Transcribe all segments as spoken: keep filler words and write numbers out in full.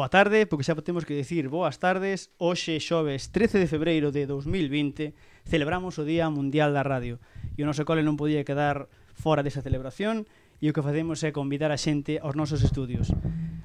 boa tarde, porque xa temos que dicir boas tardes. Hoxe, xoves trece de febreiro de dos mil vinte, celebramos o Día Mundial da Radio. E o noso cole non podía quedar fora desa celebración e o que facemos é convidar a xente aos nosos estudios.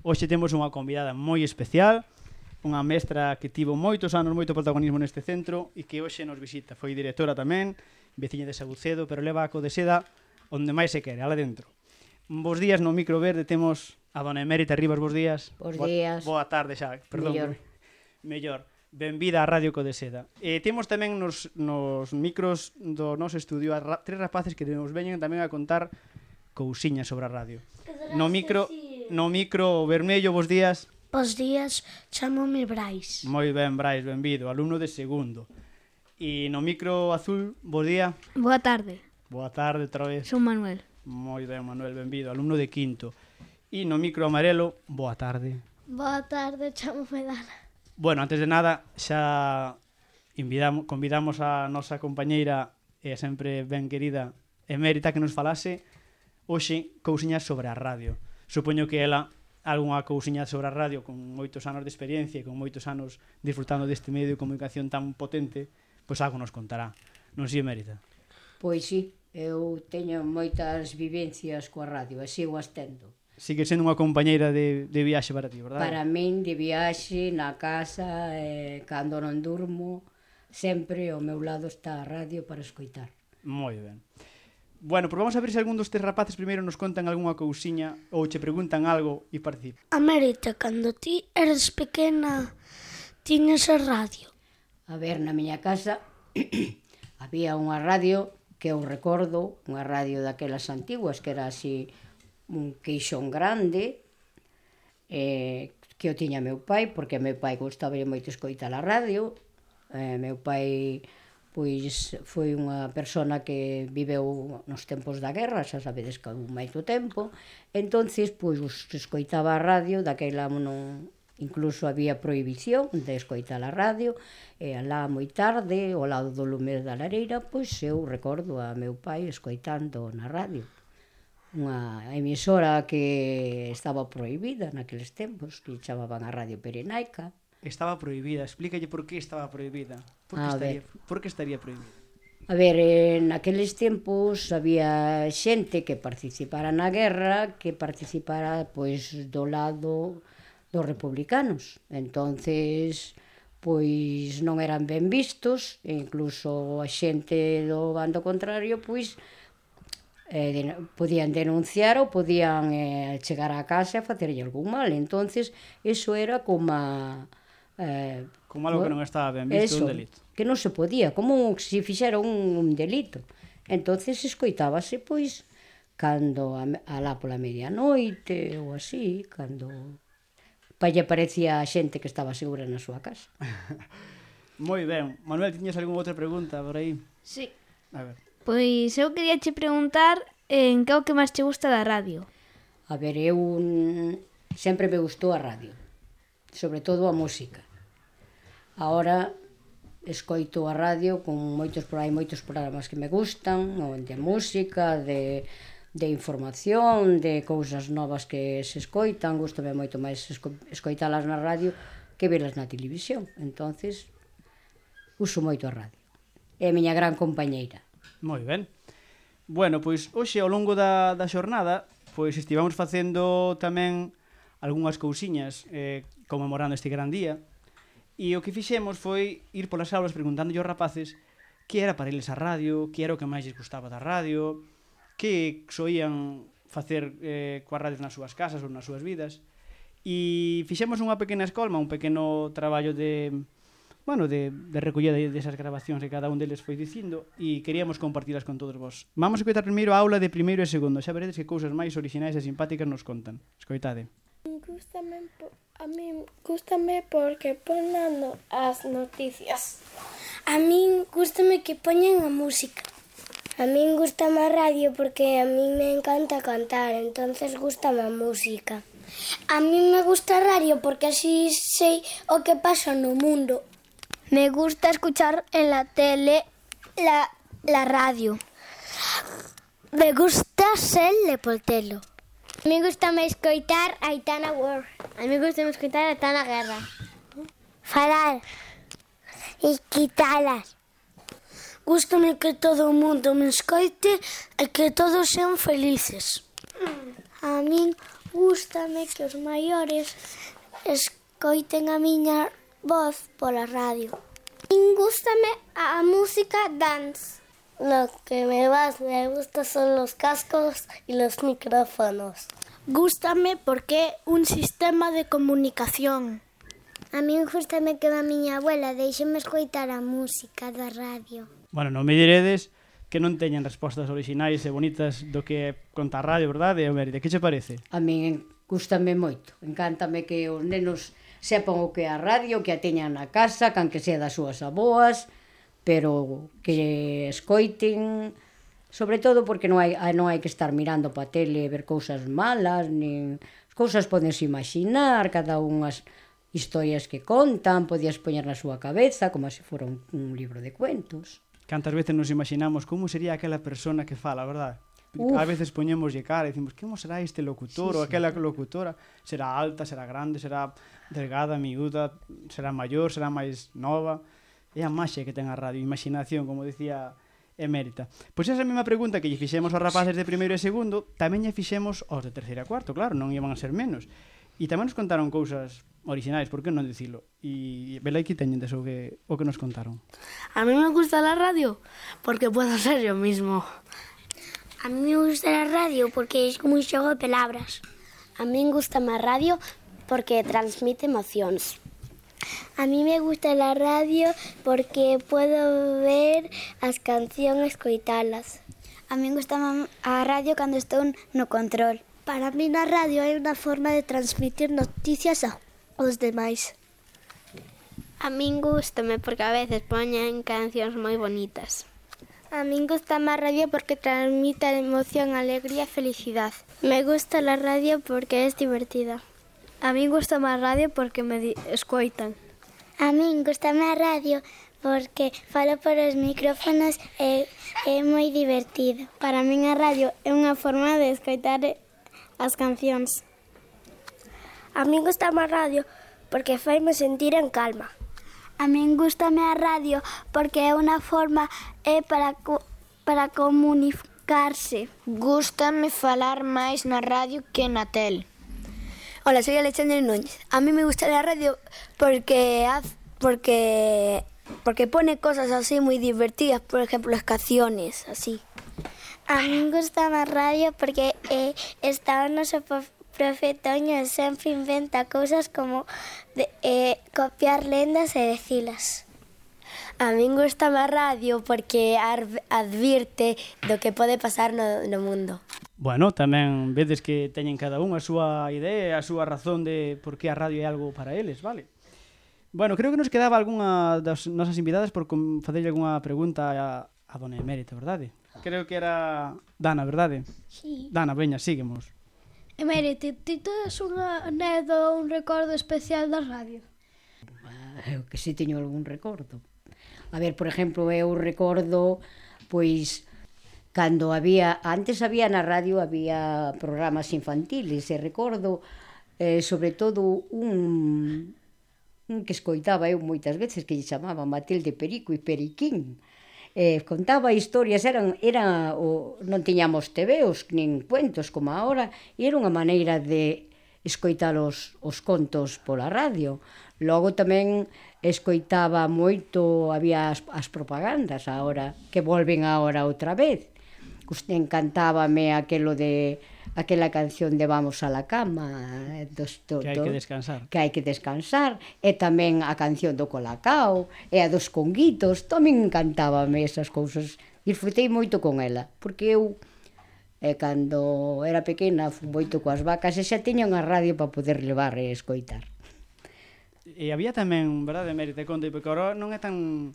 Hoxe temos unha convidada moi especial, unha mestra que tivo moitos anos, moito protagonismo neste centro e que hoxe nos visita. Foi directora tamén, veciña de Sabucedo, pero leva a Codeseda onde máis se quere, ala dentro. Bos días no micro verde temos a dona Emérita Rivas, bos días. Bos días. Boa tarde xa, perdón. Mellor. Mellor. Benvida á Radio Codeseda. E temos tamén nos, nos micros do noso estudio a ra tres rapaces que nos veñen tamén a contar cousiñas sobre a radio. No micro, no micro vermello, bos días. Bos días, chamome Brais. Moi ben, Brais, benvido, alumno de segundo. E no micro azul, bos día. Boa tarde, Boa tarde, outra vez. son Manuel. Moi ben, Manuel, benvido, alumno de quinto. E no micro amarelo, boa tarde. Boa tarde, chamome Dana. Bueno, antes de nada, xa invidamos, convidamos a nosa compañeira e sempre ben querida Emérita que nos falase hoxe cousiñas sobre a radio. Supoño que ela algunha cousiña sobre a radio con moitos anos de experiencia e con moitos anos disfrutando deste medio de comunicación tan potente, pois algo nos contará. Non si, Emérita? Pois sí, eu teño moitas vivencias coa radio, e sigo as tendo. Sigue sendo unha compañeira de, de viaxe para ti, verdade? Para min, de viaxe, na casa, eh, cando non durmo, sempre ao meu lado está a radio para escoitar. Moi ben. Bueno, pois vamos a ver se algún dos tres rapaces primeiro nos contan algunha cousiña ou che preguntan algo e participan. Amérita, cando ti eres pequena, tiñas a radio. A ver, na miña casa había unha radio que eu recordo, unha radio daquelas antiguas, que era así un queixón grande, eh, que o tiña meu pai, porque meu pai gustaba moito escoitar a radio. Eh, meu pai pois foi unha persona que viveu nos tempos da guerra, xa sabedes que houve moito tempo, entonces pois escoitaba a radio, daquela non, incluso había prohibición de escoitar a radio, e alá moi tarde, ao lado do lume da lareira, pois eu recordo a meu pai escoitando na radio. Unha emisora que estaba prohibida naqueles tempos, que chamaban a Radio Pirenaica. Estaba prohibida, explícalle por que estaba prohibida. Por que A estaría, ver. por que estaría prohibida? A ver, eh, naqueles tempos había xente que participara na guerra, que participara pois do lado dos republicanos. Entonces, pois non eran ben vistos, e incluso a xente do bando contrario, pois eh, de, podían denunciar ou podían eh, chegar á casa e facerlle algún mal. Entonces, eso era como a, eh, Como algo que non estaba ben visto, eso, un delito. que non se podía, como se fixera un, un delito. Entonces escoitábase pois cando a, alá pola medianoite ou así, cando pa lle parecía a xente que estaba segura na súa casa. Moi ben. Manuel, tiñas algunha outra pregunta por aí? Sí. A ver. Pois eu quería che preguntar en que é o que máis che gusta da radio. A ver, eu mm, sempre me gustou a radio, sobre todo a música. Ahora escoito a radio con moitos por aí moitos programas que me gustan, de música, de de información, de cousas novas que se escoitan, gustame moito máis esco escoitalas na radio que velas na televisión. Entonces, uso moito a radio. É a miña gran compañeira. Moi ben. Bueno, pois hoxe ao longo da, da xornada pois estivamos facendo tamén algunhas cousiñas eh, conmemorando este gran día. E o que fixemos foi ir polas aulas preguntando aos rapaces que era para eles a radio, que era o que máis lles gustaba da radio, que soían facer eh, coas radios nas súas casas ou nas súas vidas. E fixemos unha pequena escolma, un pequeno traballo de, bueno, de, de recollida desas grabacións que cada un deles foi dicindo e queríamos compartilas con todos vos. Vamos a escoitar primeiro a aula de primeiro e segundo, xa veredes que cousas máis orixinais e simpáticas nos contan. Escoitade. Gústame, a mí gústame porque ponen as noticias. A min gústame que poñan a música. A min gústame a radio porque a mí me encanta cantar, entonces gústame a música. A min me gusta a radio porque así sei o que pasa no mundo. Me gusta escuchar en la tele la, la radio. Me gusta ser lepotelo. A mí gustame escoitar a Aitana War. A mí gustame escoitar a Aitana Guerra. Falar e quitalas. Gústame que todo o mundo me escoite e que todos sean felices. A min gústame que os maiores escoiten a miña voz pola radio. A min gústame a música dance. Lo que me más me gusta son los cascos y los micrófonos. Gústame porque é un sistema de comunicación. A min gústame que a miña abuela deixeme escoitar a música da radio. Bueno, non me diredes que non teñen respostas orixinais e bonitas do que conta a radio, verdade? Euméride, que che parece? A min gústame moito. Encántame que os nenos sepan o que é a radio, que a teñan na casa, can que sea das súas aboas, pero que escoiten, sobre todo porque non hai, non hai que estar mirando pa tele e ver cousas malas, nin as cousas podense imaginar, cada unhas historias que contan, podías poñer na súa cabeza como se fora un, un libro de cuentos. Cantas veces nos imaginamos como sería aquela persona que fala, verdade? Uf. A veces poñémoslle cara e dicimos, como será este locutor Sí, ou sí. aquela locutora? Será alta, será grande, será delgada, miúda, será maior, será máis nova? É a maxia que ten a radio, imaginación, como decía Emérita. Pois esa mesma pregunta que lle fixemos aos rapaces de primeiro e segundo, tamén lle fixemos aos de terceiro e cuarto, claro, non iban a ser menos. E tamén nos contaron cousas orixinais, por que non dicilo? E vela aquí teñen deso que, o que nos contaron. A mí me gusta la radio porque puedo ser yo mismo. A mí me gusta a radio porque é como un xogo de palabras. A mí me gusta a radio porque transmite emocións. A mí me gusta la radio porque puedo ver as cancións e escoitalas. A mí me gusta a radio cando estou no control. Para mí na radio é unha forma de transmitir noticias aos demais. A min gústame porque a veces poñen cancións moi bonitas. A min gusta a radio porque transmite emoción, alegría e felicidade. Me gusta la radio porque é divertida. A mí gusta a radio porque me escoitan. A min gusta a radio porque falo por os micrófonos e é moi divertido. Para min a radio é unha forma de escoitar as cancións. A min gusta a radio porque faime sentir en calma. A min gustame a radio porque é unha forma é para co para comunicarse. Gústame falar máis na radio que na tele. Hola, soy Alexandre Núñez. A mí me gusta la radio porque haz, porque porque pone cosas así muy divertidas, por ejemplo, las canciones, así. A mí me gusta a radio porque eh, está o noso profe Toño e sempre inventa cousas como de, eh, copiar lendas e decilas. A min gusta a radio porque advirte do que pode pasar no, no mundo. Bueno, tamén vedes que teñen cada un a súa idea, a súa razón de por que a radio é algo para eles, vale? Bueno, creo que nos quedaba algunha das nosas invitadas por facerlle algunha pregunta a, a dona Emérita, verdade? Creo que era Dana, verdade? Sí. Dana, veña, síguemos. Emérita, ti tes unha anécdota ou un recordo especial da radio? Eu que si teño algún recordo. A ver, por exemplo, eu recordo, pois, cando había, antes había na radio, había programas infantiles, e recordo, eh, sobre todo, un, un que escoitaba eu moitas veces, que lle chamaba Matilde Perico e Periquín. Eh, contaba historias, eran, era, o, non tiñamos tebeos, nin cuentos como agora, e era unha maneira de escoitar os, os contos pola radio. Logo tamén escoitaba moito, había as, as propagandas agora, que volven agora outra vez. Encantábame aquelo de aquela canción de Vamos a la cama dos, do, que hai que descansar que hai que descansar e tamén a canción do Colacao e a dos Conguitos, tamén encantábame esas cousas, disfrutei moito con ela porque eu eh, cando era pequena fui moito coas vacas e xa tiña unha radio para poder levar e escoitar. E había tamén, verdade, Emérita, conte, porque agora non é tan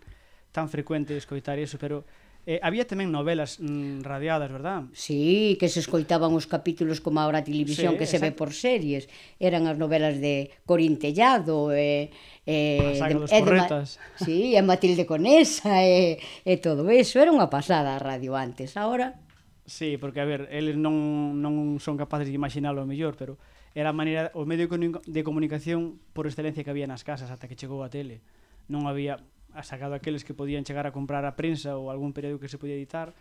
tan frecuente escoitar iso, pero Eh, había tamén novelas mm, radiadas, verdad? Sí, que se escoitaban os capítulos como agora a televisión, sí, que se ve por series. Eran as novelas de Corín Tellado, e, e, a saga dos e Porretas. Ma, sí, e Matilde Conesa, e, e todo eso. Era unha pasada a radio antes. Agora, Sí, porque, a ver, eles non, non son capaces de imaginalo mellor, pero era a maneira, o medio de comunicación por excelencia que había nas casas ata que chegou a tele. Non había, a sacado aqueles que podían chegar a comprar a prensa ou algún periódico que se podía editar,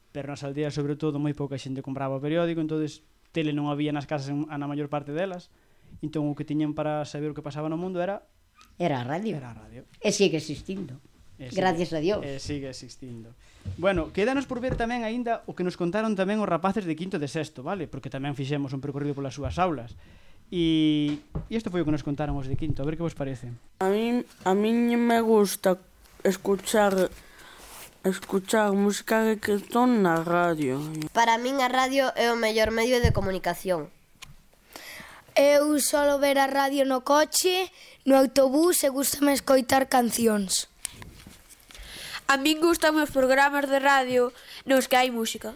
pero nas aldeas, sobre todo, moi pouca xente compraba o periódico, entonces tele non había nas casas na maior parte delas, entón o que tiñan para saber o que pasaba no mundo era Era a radio. Era a radio. E sigue existindo. E sigue, Gracias a Dios. E sigue existindo. Bueno, quédanos por ver tamén aínda o que nos contaron tamén os rapaces de quinto e de sexto, vale? Porque tamén fixemos un percorrido polas súas aulas. E isto foi o que nos contaron os de quinto, a ver que vos parece. A min, a min me gusta escuchar escuchar música de reggaetón na radio. Para min a radio é o mellor medio de comunicación. Eu solo ver a radio no coche, no autobús e gustame escoitar cancións. A min gustan os programas de radio nos que hai música.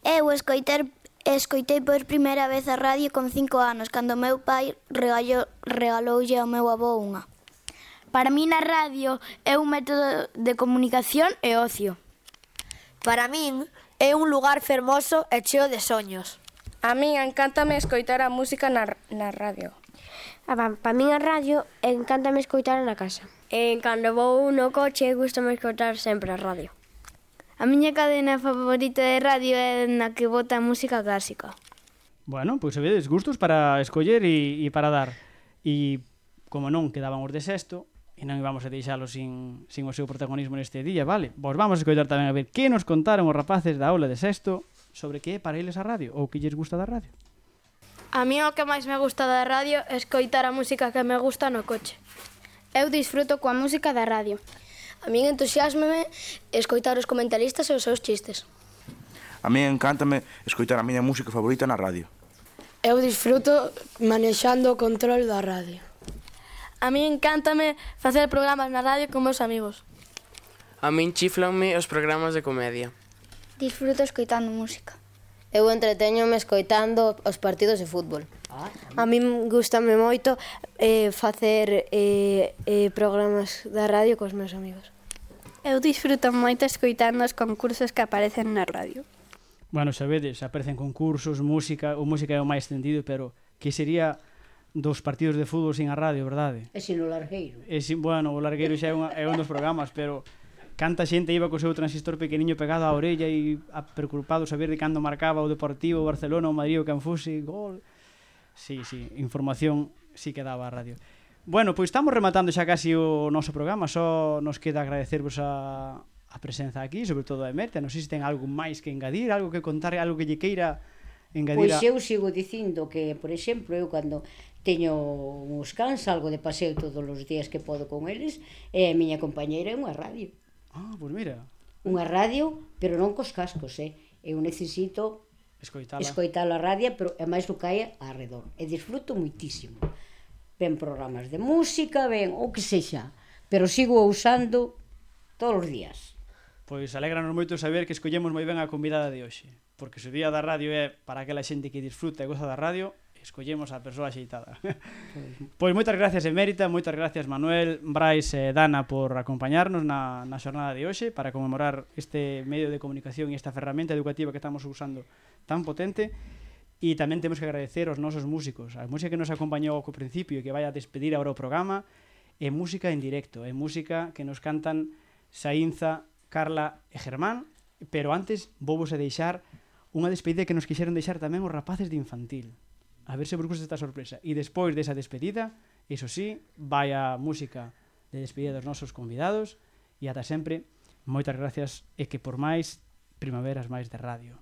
Eu escoiter, escoitei por primeira vez a radio con cinco anos, cando meu pai regalou, regaloulle ao meu avó unha. Para min a radio é un método de comunicación e ocio. Para min é un lugar fermoso e cheo de soños. A min encántame escoitar a música na, na radio. Para min a radio encántame escoitar na casa. E cando vou no coche gustame escoitar sempre a radio. A miña cadena favorita de radio é na que bota música clásica. Bueno, pois pues, vedes, gustos para escoller e, e para dar. E como non quedaban os de sexto, e non íbamos a deixalo sin, sin o seu protagonismo neste día, vale? Vos vamos a escoitar tamén a ver que nos contaron os rapaces da aula de sexto sobre que é para eles a radio, ou que lles gusta da radio. A mí o que máis me gusta da radio é escoitar a música que me gusta no coche. Eu disfruto coa música da radio. A min entusiasmame escoitar os comentaristas e os seus chistes. A mí encántame escoitar a miña música favorita na radio. Eu disfruto manexando o control da radio. A mí encántame facer programas na radio con meus amigos. A min chiflanme os programas de comedia. Disfruto escoitando música. Eu entreteñome escoitando os partidos de fútbol. A min gustame moito eh, facer eh, eh, programas da radio cos meus amigos. Eu disfruto moito escoitando os concursos que aparecen na radio. Bueno, sabedes, aparecen concursos, música, o música é o máis extendido, pero que sería dos partidos de fútbol sin a radio, verdade? E sin o largueiro. E sin, bueno, o largueiro xa é, unha, é un dos programas, pero canta xente iba co seu transistor pequeniño pegado á orella e preocupado saber de cando marcaba o Deportivo, o Barcelona, o Madrid, o Canfusi, gol. Sí, sí, información sí que daba a radio. Bueno, pois estamos rematando xa casi o noso programa, só nos queda agradecervos a, a presenza aquí, sobre todo a Emerta. Non sei se ten algo máis que engadir, algo que contar, algo que lle queira engadir. Pois eu sigo dicindo que, por exemplo, eu cando teño uns cans, algo de paseo todos os días que podo con eles, e a miña compañeira é unha radio. Ah, pois mira. Unha radio, pero non cos cascos, eh? Eu necesito escoitala, escoitala a radio, pero é máis o que hai arredor. E disfruto moitísimo. Ven programas de música, ven o que sexa, pero sigo usando todos os días. Pois alégranos moito saber que escollemos moi ben a convidada de hoxe, porque se o día da radio é para aquela xente que disfruta e goza da radio, escollemos a persoa axeitada. Pois moitas gracias, Emérita, moitas gracias, Manuel, Brais e Dana, por acompañarnos na, na xornada de hoxe para conmemorar este medio de comunicación e esta ferramenta educativa que estamos usando tan potente. E tamén temos que agradecer aos nosos músicos, a música que nos acompañou ao principio e que vai a despedir agora o programa, é música en directo, é música que nos cantan Saínza, Carla e Germán, pero antes vou vos a deixar unha despedida que nos quixeron deixar tamén os rapaces de infantil. A ver se vos gusta esta sorpresa. E despois desa despedida, iso sí, vai a música de despedida dos nosos convidados e ata sempre, moitas gracias e que por máis primaveras máis de radio.